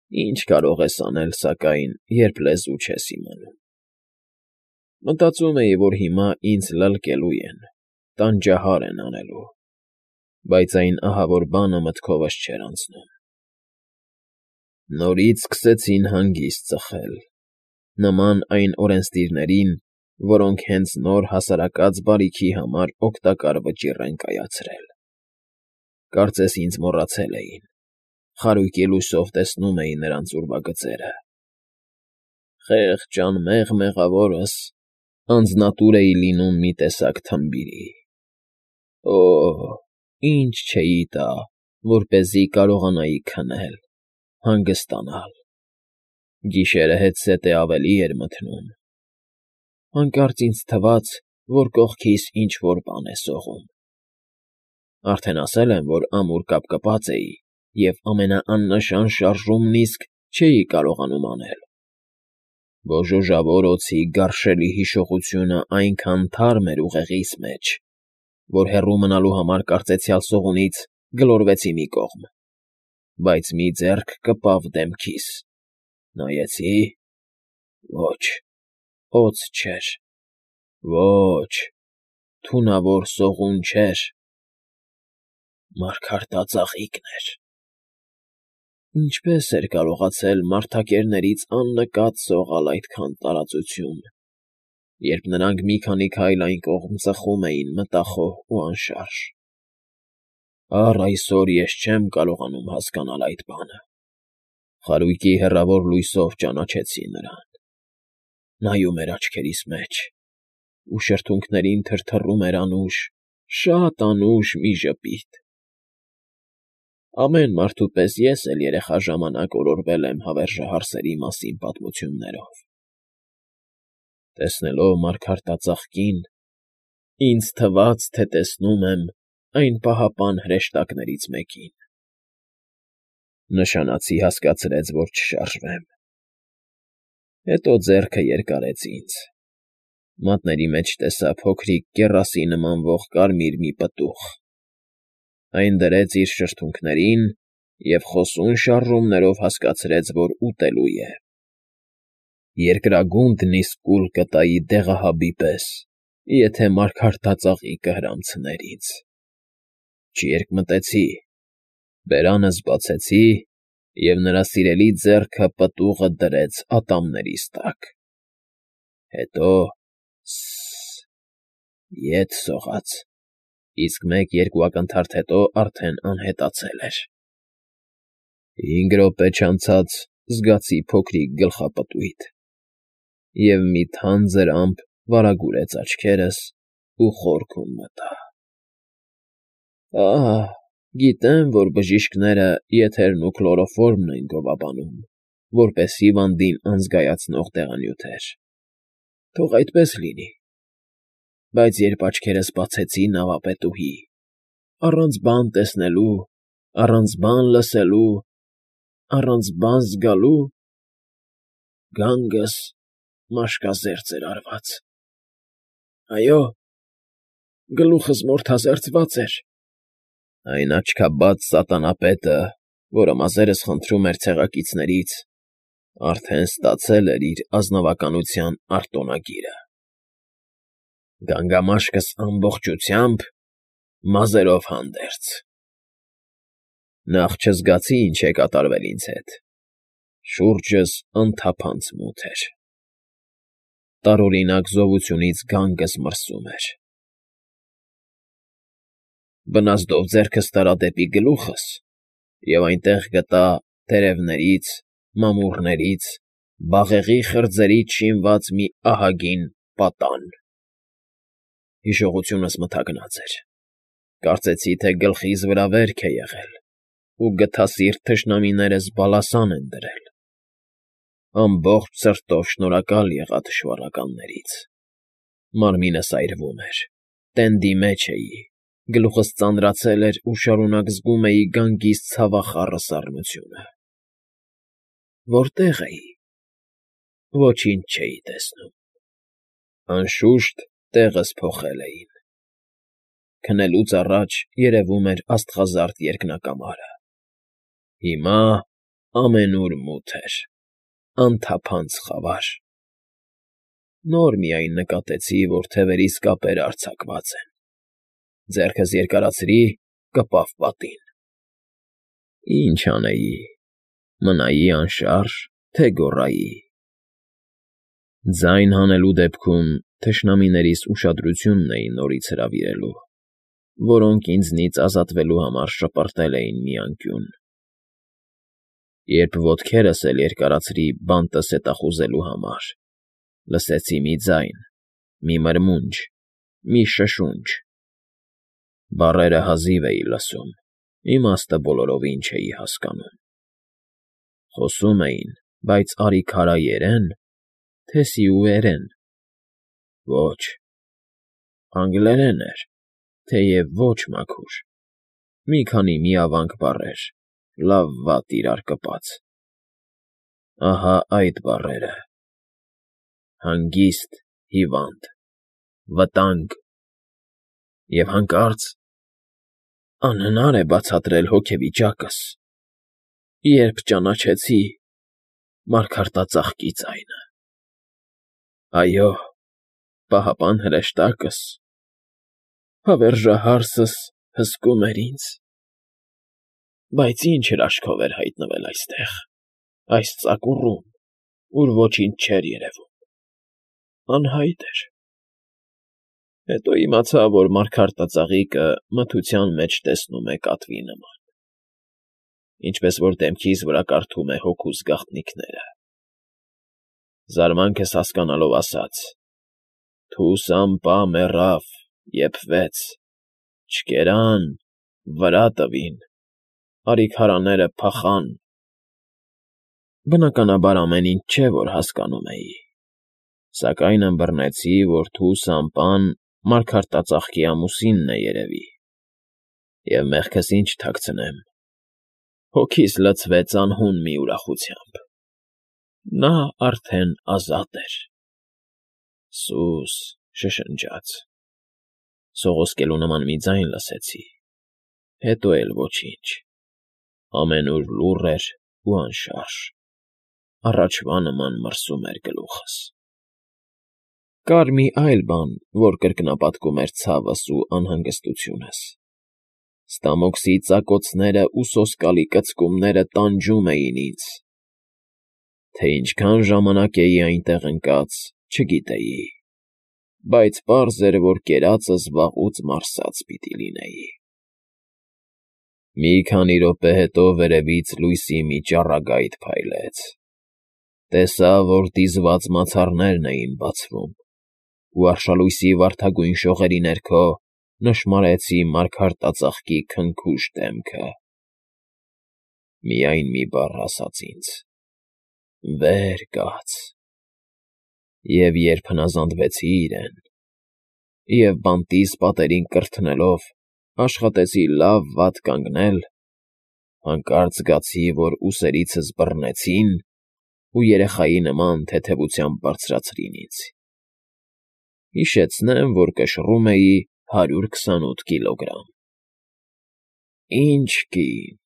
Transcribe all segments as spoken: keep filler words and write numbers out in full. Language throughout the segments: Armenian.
Ի՞նչ կարող ես անել, սակայն, երբ լեզու չես իմանում… Մտածում էի, որ հիմա ինձ լլկելու են, տանջահար են անելու, բայց այն ահավոր բանը մտքովս չէր անցնում… Նորից սկսեցին հանգիստ ծխել, նման այն օրենսդիրներին, որոնք հենց նոր հասարակած բարիքի համար օգտակար վճիռ են կայացրել… Կարծես ինձ մոռացել էին, խարույկի լույսով տեսնում էի նրանց ուրվագծերը… Խեղճ անմեղ մեղավորս անձնատուր էի լինում մի տեսակ թմբիրի… Օ՜, ինչ չէի տա, որպեսզի կարողանայի քնել, հանգստանալ… Գիշերը հետզհետե ավելի էր մթնում… Հանկարծ ինձ թվաց, որ կողքիս ինչ֊որ բան է սողում… Արդեն ասել եմ, որ ամուր կապկպած էի և ամենաաննշան շարժումն իսկ չէի կարողանում անել… Բոժոժավոր օձի գարշելի հիշողությունն այնքան թարմ էր ուղեղիս մեջ, որ հեռու մնալու համար կարծեցյալ սողունից գլորվեցի մի կողմ, բայց մի ձեռք կպավ դեմքիս, նայեցի… Ոչ, օձ չէր… Ոչ, թունավոր սողուն չէր… Մարգարտածաղիկն էր… Ինչպե՞ս էր կարողացել մարդակերներից աննկատ սողալ այդքան տարածություն, երբ նրանք մի քանի քայլ այն կողմ ծխում էին մտախոհ ու անշարժ… Առ այսօր ես չեմ կարողանում հասկանալ այդ բանը… Խարույկի հեռավոր լույսով ճանաչեցի նրան… Նայում էր աչքերիս մեջ, ու շրթունքներին թրթռում էր անուշ, շատ անուշ մի ժպիտ… Ամեն մարդու պես ես էլ երեխա ժամանակ օրորվել եմ հավերժահարսերի մասին պատմություններով… Տեսնելով մարգարտածաղկին, ինձ թվաց, թե տեսնում եմ այն պահապան հրեշտակներից մեկին… Նշանացի հասկացրեց, որ չշարժվեմ… Հետո ձեռքը երկարեց ինձ, մատների մեջ տեսա փոքրիկ կեռասի նմանվող կարմիր մի պտուղ… Այն դրեց իր շրթունքներին և խոսուն շարժումներով հասկացրեց, որ ուտելու է… Երկրագունդն իսկ կուլ կտայի դեղահաբի պես, եթե մարգարտածաղիկը հրամցներ ինձ… Չերկմտեցի, բերանս բացեցի, և նրա սիրելի ձեռքը պտուղը դրեց ատամներիս տակ… Հետո… Ս֊ս֊ս… ետ սողաց, իսկ մեկ֊երկու ակնթարթ հետո արդեն անհետացել էր… Հինգ րոպե չանցած զգացի փոքրիկ գլխապտույտ, և մի թանձր ամպ վարագուրեց աչքերս ու խորքում մտա… Ահ, գիտեմ, որ բժիշկները եթերն ու քլորոֆորմն են գովաբանում, որպես հիվանդին անզգայացնող տեղանյութեր… Թող այդպես լինի… Բայց երբ աչքերս բացեցի նավապետուհի, առանց բան տեսնելու, առանց բան լսելու, առանց բան զգալու… գանգս մաշկազերծ էր արված… Այո, գլուխս մորթազերծված էր… Այն աչքաբաց սատանապետը, որը մազերս խնդրում էր ցեղակիցներից, արդեն ստացել էր իր ազնվականության արտոնագիրը… Գանգամաշկս ամբողջությամբ, մազերով հանդերձ… Նախ չզգացի ինչ է կատարվել ինձ հետ, շուրջս անթափանց մութ էր… Տարօրինակ զովությունից գանգս մրսում էր… Բնազդով ձեռքս տարա դեպի գլուխս և այնտեղ գտա տերևներից, մամուռներից, բաղեղի խրձերից շինված մի ահագին պատան… Հիշողությունս մթագնած էր… Կարծեցի, թե գլխիս վրա վերք է եղել, ու գթասիրտ թշնամիներս բալասան են դրել… Ամբողջ սրտով շնորհակալ եղա թշվառականներից… Մարմինս այրվում էր, տենդի մեջ էի, գլուխս ծանրացել էր ու շարունակ զգում էի գանգիս ցավախառը սառնությունը… Որտե՞ղ էի… Ոչինչ չէի տեսնում… Անշուշտ, տեղս փոխել էին… Քնելուց առաջ երևում էր աստղազարդ երկնակամարը… Հիմա… ամենուր մութ էր, անթափանց խավար։ Նոր միայն նկատեցի, որ թևերիս կապերը արձակված են, ձեռքս երկարացրի, կպավ պատին։ Ինչ անեի, մնայի անշարժ, թե գոռայի։ Ձայն հանելու դեպքում թշնամիներիս ուշադրությունն էի նորից հրավիրելու, որոնք ինձնից ազատվելու համար շպրտել էին մի անկյուն։ Երբ ոտքերս էլ երկարացրի բանտը սետախուզելու համար, լսեցի մի ձայն, մի մրմունջ, մի շշունջ։ Բառերը հազիվ էի լսում, իմաստը բոլորովին չէի հասկանում։ Խոսում էին, բայց արի֊քարայերե՞ն, թե սիուերեն։ Ոչ, անգլերեն էր, թեև ոչ մաքուր, մի քանի միավանք բառեր, լավ֊վատ իրար կպած։ Ահա այդ բառերը. հանգիստ, հիվանդ, վտանգ… Եվ հանկարծ… անհնար է բացատրել հոգեվիճակս, երբ ճանաչեցի մարգարտածաղկի ձայնը… Այո, պահապան հրեշտակս, հավերժահարսս հսկում էր ինձ… Բայց ի՞նչ հրաշքով էր հայտնվել այստեղ, այս ծակուռում, ուր ոչինչ չէր երևում… անհայտ էր… Հետո իմացա, որ մարգարտածաղիկը մթության մեջ տեսնում է կատվի նման, ինչպես որ դեմքիս վրա կարդում է հոգուս գաղտնիքները… Զարմանքս հասկանալով ասաց. «Թուս ամպա մեռավ, եփվեց, չկերան, վրա տվին, արի֊քարաները փախան»… Բնականաբար ամեն ինչ չէ, որ հասկանում էի, սակայն ըմբռնեցի, որ թուս ամպան մարգարտածաղկի ամուսինն է երևի, և մեղքս ինչ թաքցնեմ, հոգիս լցվեց անհուն մի ուրախությամբ… նա արդեն ազատ էր… Սո՜ւս… շշնջաց… Սողոսկելու նման մի ձայն լսեցի, հետո էլ ոչինչ… ամենուր լուռ էր ու անշարժ, առաջվա նման մրսում էր գլուխս… Կար մի այլ բան, որ կրկնապատկում էր ցավս ու անհանգստությունս… Ստամոքսի ծակոցներն ու սոսկալի կծկումները տանջում էին ինձ… Թե ինչքան ժամանակ էի այնտեղ ընկած, չգիտեի, բայց պարզ էր, որ կերածս վաղուց մարսած պիտի լինեի… Մի քանի րոպե հետո վերևից լույսի մի ճառագայթ փայլեց… Տեսա, որ դիզված մացառներն էին բացվում, ու արշալույսի վարդագույն շողերի ներքո նշմարեցի մարգարտածաղկի քնքուշ դեմքը… Միայն մի բառ ասաց ինձ. «Վեր կաց»… Եվ երբ հնազանդվեցի իրեն և բանտիս պատերին կրթնելով աշխատեցի լավ֊վատ կանգնել, հանկարծ զգացի, որ ուսերիցս բռնեցին ու երեխայի նման թեթևությամբ բարձրացրին ինձ… Հիշեցնեմ, որ կշռում էի հարյուր քսանութ կիլոգրամ… Ինչ կին,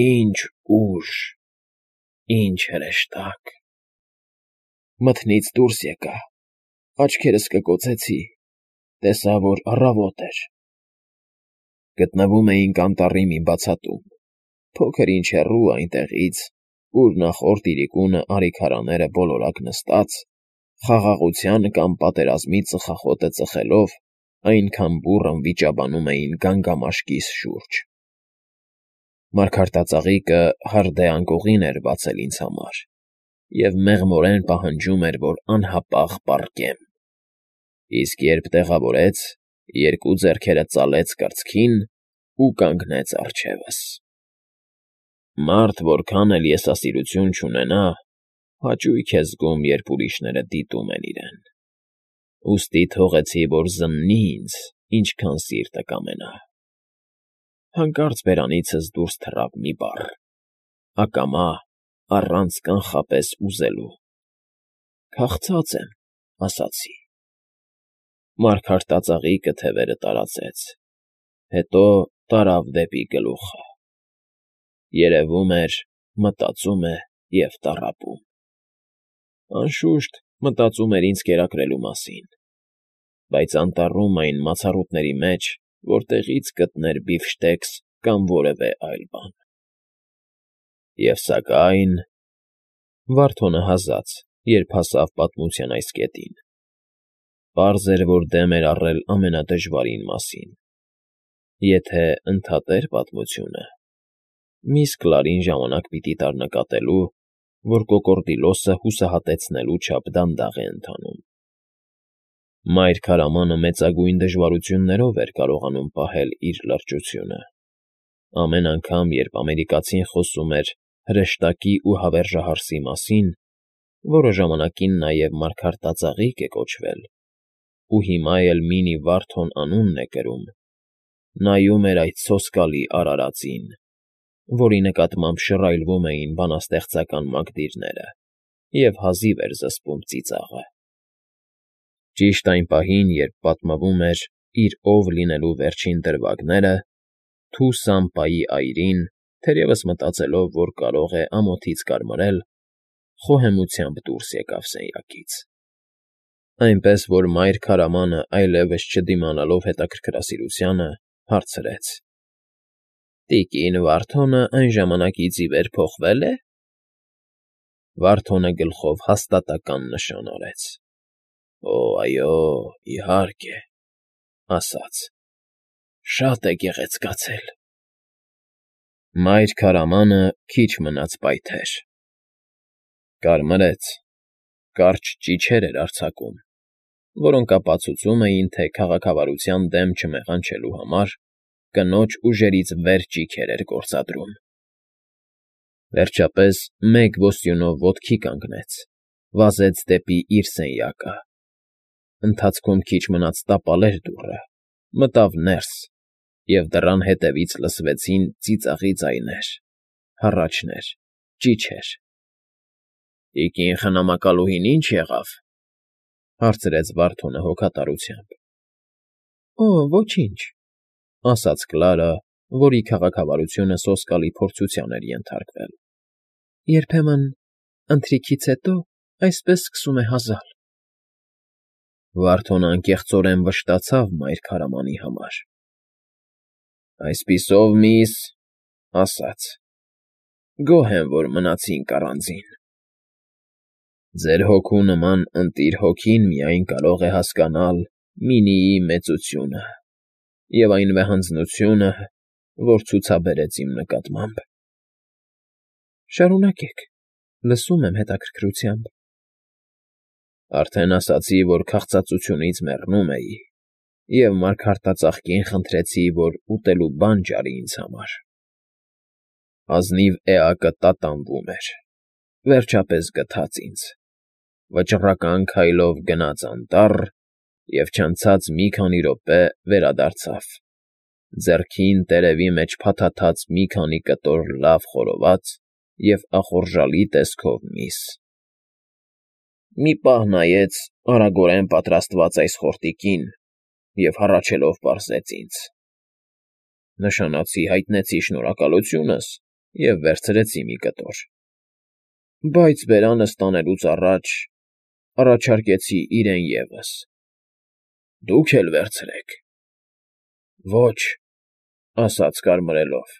ինչ ուժ, ինչ հրեշտակ… Մթնից դուրս եկա, աչքերս կկոցեցի, տեսա, որ առավոտ էր… Գտնվում էինք անտառի մի բացատում, փոքր֊ինչ հեռու այնտեղից, ուր նախորդ իրիկունը արի֊քարաները բոլորակ նստած, խաղաղության կամ պատերազմի ծխախոտը ծխելով այնքան բուռն վիճաբանում էին գանգամաշկիս շուրջ… Մարգարտածաղիկը հարդե անկողին էր բացել ինձ համար և մեղմորեն պահանջում էր, որ անհապաղ պառկեմ, իսկ երբ տեղավորեց, երկու ձեռքերը ծալեց կրծքին ու կանգնեց առջևս… Մարդ որքան էլ եսասիրություն չունենա, հաճույք է զգում, երբ ուրիշները դիտում են իրեն… Ուստի թողեցի, որ զննի ինձ, ինչքան սիրտը կամենա… Հանկարծ բերանիցս դուրս թռավ մի բառ, ակամա, առանց կանխապես ուզելու… Քաղցած եմ, ասացի… Մարգարտածաղիկը թևերը տարածեց, հետո տարավ դեպի գլուխը… Երևում էր, մտածում է և տառապում։ Անշուշտ, մտածում էր ինձ կերակրելու մասին, բայց անտառում այն մացառուտների մեջ, որտեղից գտներ բիֆշտեքս կամ որևէ այլ բան։ Եվ սակայն… Վարդոնը հազաց, երբ հասավ պատմության այս կետին. պարզ էր, որ դեմ էր առել ամենադժվարին մասին. եթե ընդհատեր պատմությունը, միստր Կլարին ժամանակ պիտի տար նկատելու, որ կոկորդիլոսը հուսահատեցնելու չափ դանդաղ է ընթանում։ Մայր քարամանը մեծագույն դժվարություններով էր կարողանում պահել իր լրջությունը։ Ամեն անգամ, երբ ամերիկացին խոսում էր հրեշտակի ու հավերժահարսի մասին, որը ժամանակին նաև մարգարտածաղիկ է կոչվել, ու հիմա էլ Մինի Վարդոն անունն է կրում, նայում էր այդ սոսկալի արարածին, որի նկատմամբ շռայլվում էին բանաստեղծական մակդիրները, և հազիվ էր զսպում ծիծաղը։ Ճիշտ այն պահին, երբ պատմվում էր իր ով լինելու վերջին դրվագները, թու Սամպայի այրին, թերևս մտածելով, որ կարող է ամոթից կարմրել, խոհեմությամբ դուրս եկավ սենյակից։ Այնպես որ մայր քարամանը այլևս չդիմանալով հետաքրքրասիրությանը, հարցրեց. ֊ Տիկին Վարդոնը այն ժամանակից ի վեր փոխվե՞լ է։ Վարդոնը գլխով հաստատակամ նշան արեց։ ֊ Օ, այո, իհարկե, ասաց. շատ է գեղեցկացել։ Մայր քարամանը քիչ մնաց պայթեր. կարմրեց, կարճ ճիչեր էր արձակում, որոնք ապացուցում էին, թե քաղաքավարության դեմ չմեղանչելու համար կնոջ ուժերից վեր ճիգեր էր գործադրում։ Վերջապես մեկ ոստյունով ոտքի կանգնեց, վազեց դեպի իր սենյակը, ընթացքում քիչ մնաց տապալեր դուռը, մտավ ներս, և դռան հետևից լսվեցին ծիծաղի ձայներ, հառաչներ, ճիչեր։ ֊ Տիկին խնամակալուհին ի՞նչ եղավ,֊ հարցրեց Վարդոնը հոգատարությամբ։ ֊ Օ, ոչինչ,֊ ասաց Կլարը, որի քաղաքավարությունը սոսկալի փորձության էր ենթարկվել։ ֊ Երբեմն, ընթրիքից հետո, այսպես սկսում է հազալ։ Վարդոնը անկեղծորեն վշտացավ մայր քարամանի համար։ ֊ Այսպիսով, միս, ասաց, գոհ եմ, որ մնացինք առանձին։ Ձեր հոգու նման ընտիր հոգին միայն կարող է հասկանալ Մինիի մեծությունը և այն վեհանձնությունը, որ ցուցաբերեց իմ նկատմամբ։ ֊ Շարունակեք, լսում եմ հետաքրքրությամբ։ Արդեն ասացի, որ քաղցածությունից մեռնում էի, և մարգարտածաղկին խնդրեցի, որ ուտելու բան ջարի ինձ համար։ Ազնիվ էակը տատանվում էր, վերջապես գթած ինձ, վճռական քայլով գնաց անտառ և չանցած մի քանի րոպե վերադարձավ, ձեռքին տերևի մեջ փաթաթած մի քանի կտոր լավ խորոված և ախորժալի տեսքով միս։ Մի պահ նայեց արագորեն պատրաստված այս խորտիկին և հառաչելով պարզեց ինձ. նշանացի հայտնեցի շնորհակալությունս և վերցրեցի մի կտոր, բայց բերանս տանելուց առաջ առաջարկեցի իրեն ևս. դուք էլ վերցրեք։ ֊ Ոչ,֊ ասաց կարմրելով,֊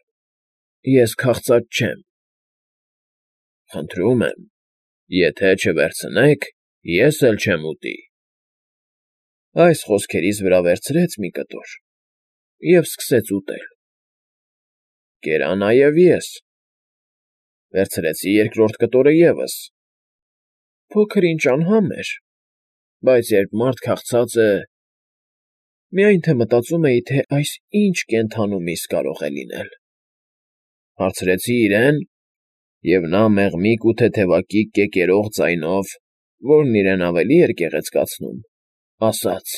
ես քաղցած չեմ։ ֊ Խնդրում եմ, եթե չվերցնեք, ես էլ չեմ ուտի։ Այս խոսքերիս վրա վերցրեց մի կտոր և սկսեց ուտել։ Կերա նաև ես. վերցրեցի երկրորդ կտորը ևս։ Փոքր֊ինչ անհամ էր, բայց երբ մարդ քաղցած է… Միայն թե մտածում էի, թե այս ինչ կենդանու միս կարող է լինել։ Հարցրեցի իրեն, և նա մեղմիկ ու թեթևակի կեկերող ձայնով, որն իրեն ավելի էր գեղեցկացնում, ասաց.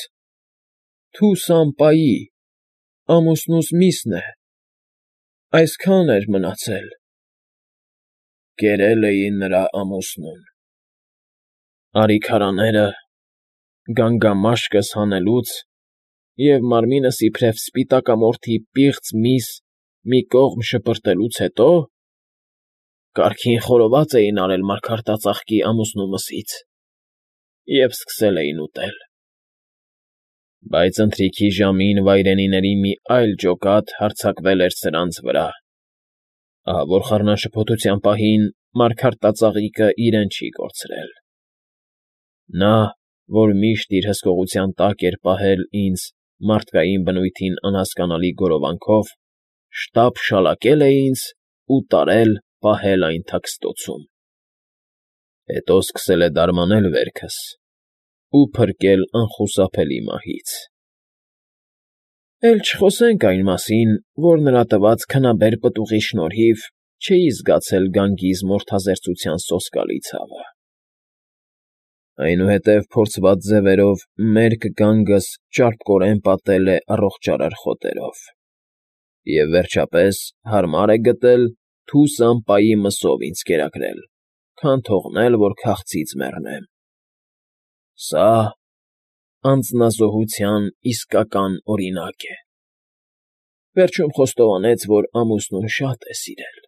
«Թու Սամպայի, ամուսնուս միսն է, այսքան էր մնացել»։ Կերել էի նրա ամուսնուն։ Արիքարաները, գանգամաշկս հանելուց և մարմինս իբրև սպիտակամորթի պիղծ միս մի կողմ շպրտելուց հետո… Կարգին խորոված էին արել մարգարտածաղկի ամուսնու մսից և սկսել էին ուտել։ Բայց ընթրիքի ժամին վայրենիների մի այլ ջոկատ հարձակվել էր սրանց վրա, ահա որ խառնաշփոթության պահին մարգարտածաղիկը իրեն չի կորցրել։ Նա, որ միշտ իր հսկողության տակ էր պահել ինձ մարդկային բնույթին անհասկանալի գորովանքով, շտապ շալակել է ինձ ու տարել պահել այն թաքստոցում։ Հետո սկսել է դարմանել վերքս ու փրկել անխուսափելի մահից։ Էլ չխոսենք այն մասին, որ նրա տված քնաբեր պտուղի շնորհիվ չէի զգացել գանգիս մորթազերծության սոսկալի ցավը։ Այնուհետև փորձված ձևերով մերկ գանգս ճարպկորեն պատել է առողջարար խոտերով և, վերջապես, հարմար է գտել թուս ամպայի մսով ինձ կերակրել, քան թողնել, որ քաղցից մեռնեմ։ Սա անձնազոհության իսկական օրինակ է։ Վերջում խոստովանեց, որ ամուսնուն շատ է սիրել։ ֊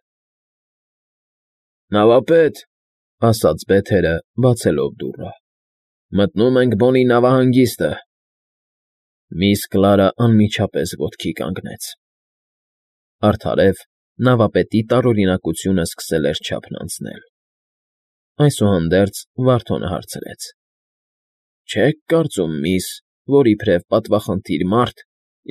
Նավապետ,֊ ասաց Բեթերը, բացելով դուռը,֊ մտնում ենք Բոնի նավահանգիստը։ Միս Կլարը անմիջապես ոտքի կանգնեց։ Արդարև նավապետի տարօրինակությունը սկսել էր չափն անցնել։ Այսուհանդերձ Վարդոնը հարցրեց. ֊ Չե՞ք կարծում, միս, որ իբրև պատվախնդիր մարդ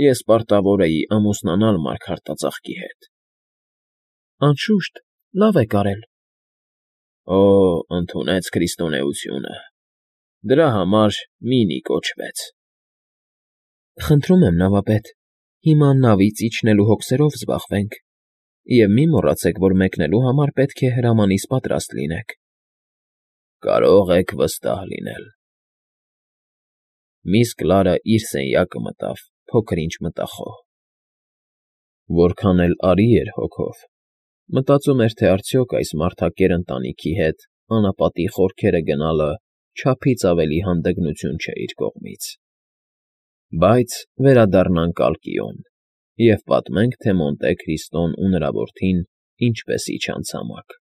ես պարտավոր էի ամուսնանալ մարգարտածաղկի հետ։ ֊ Անշուշտ, լավ եք արել։ ֊ Օ՜, ընդունեց քրիստոնեությունը… Դրա համար մինի կոչվեց։ ֊ Խնդրում եմ, նավապետ, հիմա նավից իջնելու հոգսերով զբաղվենք և մի մոռացեք, որ մեկնելու համար պետք է հրամանիս պատրաստ լինեք։ ֊ Կարող եք վստահ լինել։ Միս Կլարը իր սենյակը մտավ փոքր֊ինչ մտախոհ։ Որքան էլ արի էր հոգով, մտածում էր, թե արդյոք այս մարդակեր ընտանիքի հետ անապատի խորքերը գնալը չափից ավելի հանդգնություն չէ իր կողմից։ Բայց վերադառնանք Ալկիոն և պատմենք, թե Մոնտե Քրիստոն ու նրա որդին ինչպես իջան ցամաք։